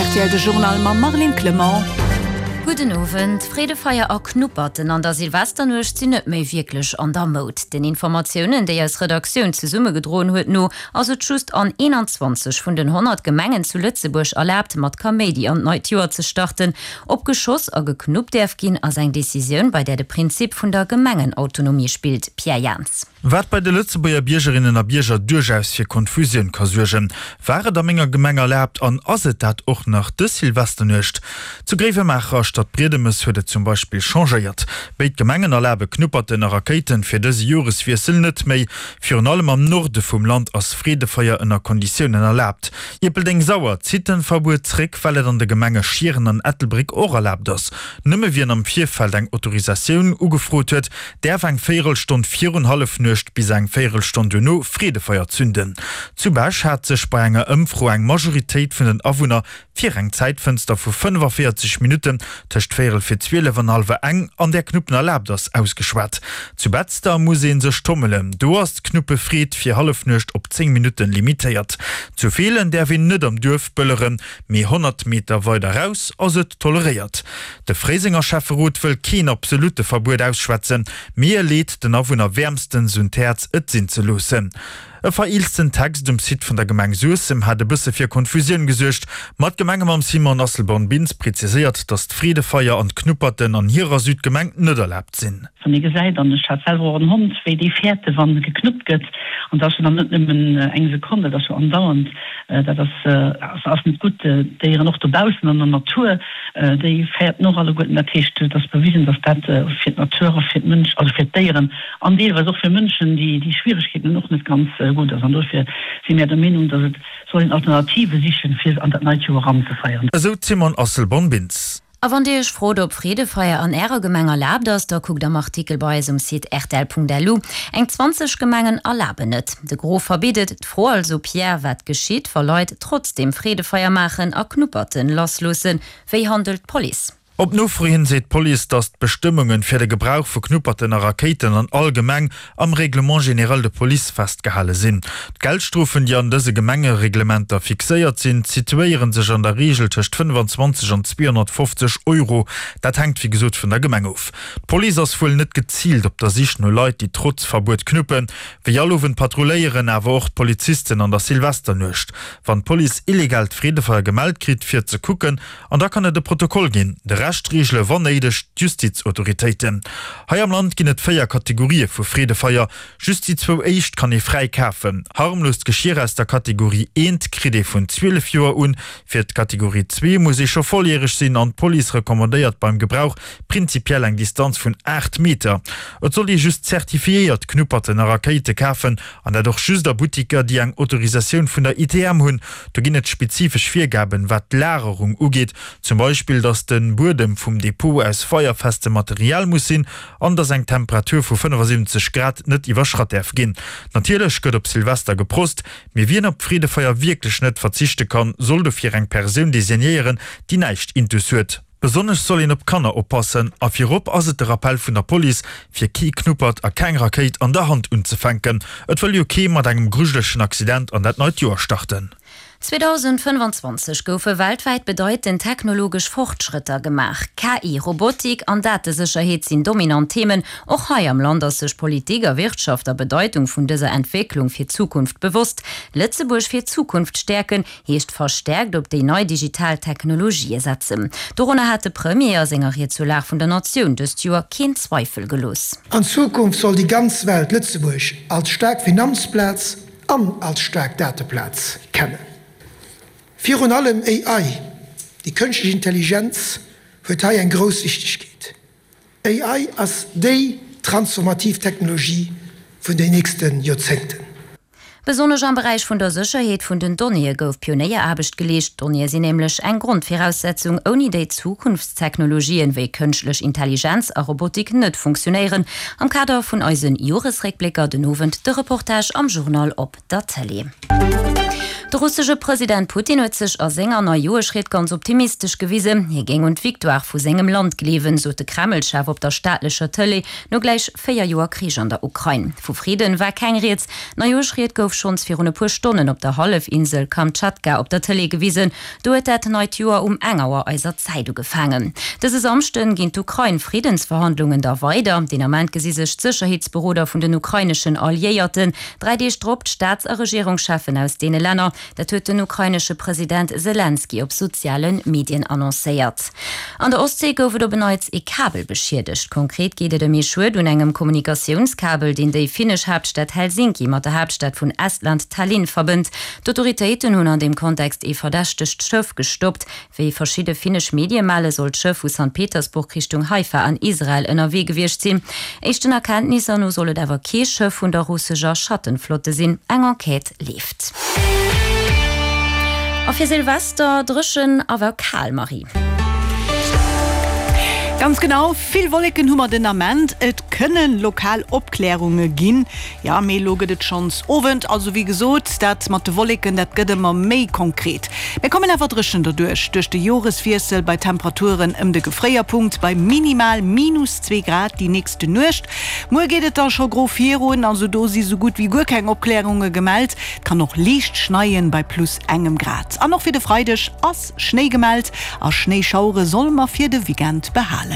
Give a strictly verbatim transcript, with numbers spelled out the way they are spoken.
Rtl de Journal mam Marlene Clement. Gudden Owend. Freedefeier a Knupperten an der Silvesternuecht sinn net méi wierklech an der Moud. Den Informatiounen, déi eis Redaktioun zesummegedroen huet, no ass et just an eenanzwanzeg vun den honnert Gemengen zu Lëtzebuerg erlaabt, mat Kaméidi an d'neit Joer ze starten. Ob geschoss a geknuppt däerf ginn, ass eng Decisioun, bei där de Prinzip vun der Gemengenautonomie spillt. Pierre Jans. Wat bei de Lëtzebuerger Biergerinnen a Bierger duerchaus fir Konfusioun ka suergen. War et a menger Gemeng erlaabt an ass et dat och nach dës Silvesternuecht? Zu Gréiwemaacher a Stadbriedemes huet et zum Beispill changéiert. Béid Gemengen erlabe Knupperten a Rakéiten fir dëse Joreswiessel net méi. Virun allem am Norde vum Land ass Freedefeier ënner Konditiounen erlaabt. Ierpeldeng-Sauer zitt den Verbuet zréck, well et an de Gemenge Schieren an Ettelbréck och erlaabt ass. Nëmme wien am Virfeld eng Autorisatioun ugefrot huet, däerf eng Véierelstonn virun Hallefnuecht bis eng Véierelstonn duerno Freedefeier zünden. Zu Bech hat sech bei enger Ëmfro eng Majoritéit vun den Awunner fir eng Zäitfënster vu fënnefavéierzeg Minutten tëscht véierel fir zwielef an hallwer eng, an där Knuppen erlaabt ass, ausgeschwat. Zu Betzder muss ee sech tommelen, do ass d'Knuppefreed fir Hallefnuecht op zéng Minutten limitéiert. Zu Feelen däerf een net am Duerf bëlleren, mee honnert Meter weider raus ass et toleréiert. De Fréisenger Schäfferot wëll keen absolutte Verbuet ausschwätzen, mee e leet den Awunner wäermstens un d'Häerz, et sinn ze loossen. E vereelzten Text um Site vun der Gemeng Suessem hat e bësse fir Konfusioun gesuergt, ma d'Gemenge mam Simon Asselborn-Bintz preziséiert, datt d'Freedefeier an d'Knupperten an hirer Südgemeng net erlaabt sinn. Wann ee gesäit, an ech hat selwer och en Hond, wéi déi fäerte wa geknuppt gëtt, an dat ass jo dann net nëmmen eng Sekonn, dat ass jo andauernd, dat ass ass net gutt. D'Déieren och dobaussen an der Natur, déi fäerten och alleguerten. Dat heescht, et ass bewisen, datt dat fir d'Natur a fir d'Mënsch, also fir d'Déieren an deelweis och fir Mënschen, déi déi Schwieregkeeten hunn, och net ganz gutt ass. An dofir si mär der Meenung, datt et soll een Alternative sichen, fir an dat neit Joer eranzefeieren. Esou d'Simone Asselborn-Bintz. A wann Dir Iech frot, ob Freedefeier an Ärer Gemeng erlaabt ass, da kuckt am Artikel bei eis um Site rtl.lu. Eng zwanzeg Gemengen erlaben et, de Gros verbitt et. D'Fro also, Pierre, wat geschitt, wa Leit trotzdeem Freedefeier maachen a Knupperten lassloossen? Wéi handelt d'Police? Op Nofro hin seet d'Police, datt d'Bestëmmunge fir de Gebrauch vu Knupperten a Rakéiten an all Gemeng am Règlement général de police festgehale sinn. D'Geldstrofen, déi an dëse Gemengereglementer fixéiert sinn, situéiere sech an der Reegel tëscht fënnfanzwanzeg an zweehonnertfofzeg Euro. Dat hänkt wéi gesot vun der Gemeng of. D'Police ass wuel net geziilt op der Sich no Leit, déi trotz Verbuet knuppen. Wéi all Owend patrulléieren awer och d'Polizisten an der Silvesternuecht. Wann d'Police illegaalt Freedefeier gemellt kritt, fir ze kucken, An da kann et e Protokoll ginn. De Rescht reegele wann néideg d'Justizautoritéiten. Hei am Land ginn et véier Kategorië vu Freedefeier. Just déi zwou éischt kann ee fräi kafen. Harmloost Geschier aus der Kategorie eent kritt ee vun zwielef Joer un. Fir d'Kategorie zwee muss ee scho volljäreg sinn an d'Police recommandéiert beim Gebrauch prinzipiell eng Distanz vun aacht Meter. Et soll ee just zertifiéiert Knupperten a Rakéite kafen an dat och just a Buttiker, déi eng Autorisatioun vun der I T M hunn. Do ginn et spezifesch Virgaben, wat d'Lagerung ugeet, zum Beispill, datt de Buedem vum Depot aus feierfestem Material muss sinn an datt eng Temperatur vu fënnefasiwwenzeg Grad net iwwerschratt däerf ginn. Natierlech gëtt op Silvester geprost, mee wien op d'Freedefeier wierklech net verzichte kann, soll dofir eng Persoun designéieren, déi näischt intus huet. Besonnesch soll een op d'Kanner oppassen a virop ass et de Rappell vun der Police, fir kee Knuppert a keng Rakéit an der Hand unzefänken. Et wëll jo kee mat engem grujelegen Accident an dat neit Joer starten. zweedausendfënnefanzwanzeg goufe weltwäit bedeitend technologesch Fortschrëtter gemaach. K I, Robotik an Datesécherheet sinn dominant Themen. Och hei am Land ass sech Politik a Wirtschaft der Bedeitung vun dëser Entwécklung fir d'Zukunft bewosst. Lëtzebuerg fir d'Zukunft stäerken, heescht verstäerkt op déi nei digital Technologië setzen. Dorunner hat de Premier a senger Ried zur Lag vun der Natioun dëst Joer keen Zweifel gelooss. An Zukunft soll déi ganz Welt Lëtzebuerg als staark Finanzplaz an als staark Dateplaz kennen. Virun allem A I, déi kënschtlech Intelligenz, huet hei eng grouss Wichtegkeet. A I ass déi transformativ Technologie vun den nächste Joerzéngten. Besonnesch am Beräich vun der Sécherheet vun den Donnéeë gouf Pionéieraarbecht geleescht. D'Donnéeë sinn nämlech eng Grondviraussetzung, ouni déi Zukunftstechnologien wéi kënschtlech Intelligenz a Robotik net funktionéieren. Am Kader vun eise Joresréckblécker den Owend de Reportage am Journal op der Tëlee. De russesche President Putin huet sech a senger Neijoerschried ganz optimistesch gewisen. Hie géing un d'Victoire vu sengem Land gleewen, sot de Kreml-Chef op der staatlecher Tëlee no gläich véier Joer Krich an der Ukrain. Vu Fridden war keng Rieds. D'Neijoerschried gouf schonns virun e puer Stonnen op der Hallefinsel Kamtschatka op der Tëlee gewisen. Do huet dat neit Joer um eng Auer eiser Zäit ugefaangen. Dëse Samschden ginn d'Ukrain-Friddensverhandlungen da weider. Den Ament gesi sech d'Sécherheetsberoder vun den ukraineschen Alliéierten. Dräi Deeg drop d'Staats a Regierungscheffen aus deene Länner. Dat huet den ukrainesche President Selenskyj op soziale Medien annoncéiert. An der Ostsee gouf et op en Neits ee Kabel beschiedegt. Konkret geet et ëm ee Schued un engem Kommunikatiounskabel, deen déi finnesch Haaptstad Helsinki mat der Haaptstad vun Estland Tallinn verbënnt. D'Autoritéiten hunn an deem Kontext ee verdächtegt Schëff gestoppt. Wéi verschidde finnesch Medie melle soll d'Schëff vu Sankt Petersburg Richtung Haifa an Israel ënnerwee gewiescht sinn. Éischten Erkenntnisser no soll et awer kee Schëff vun der russescher Schattenflotte sinn. Eng Enquête leeft. A fir Silvester dréchen awer kal, Marie. Ganz genau, vill Wolleken hu mer den Ament, et kënne lokal Opklärunge ginn. Jo, mee elo gëtt et schonns Owend, also wéi gesot, dat mat de Wolleken, dat gëtt ëmmer méi konkret. Mir kommen awer dréchen derduerch, duerch de Joreswiessel, bei Temperaturen ëm de Gefréierpunkt, bei minimal minus zwee Grad déi nächste Nuecht. Muer geet et da scho gro virun, also do si sou gutt wéi guer keng Opklärunge gemellt. Et kann och liicht schneien, bei plus engem Grad. An och fir de Freideg ass Schnéi gemellt a Schnéischauere solle mer fir de Weekend behalen.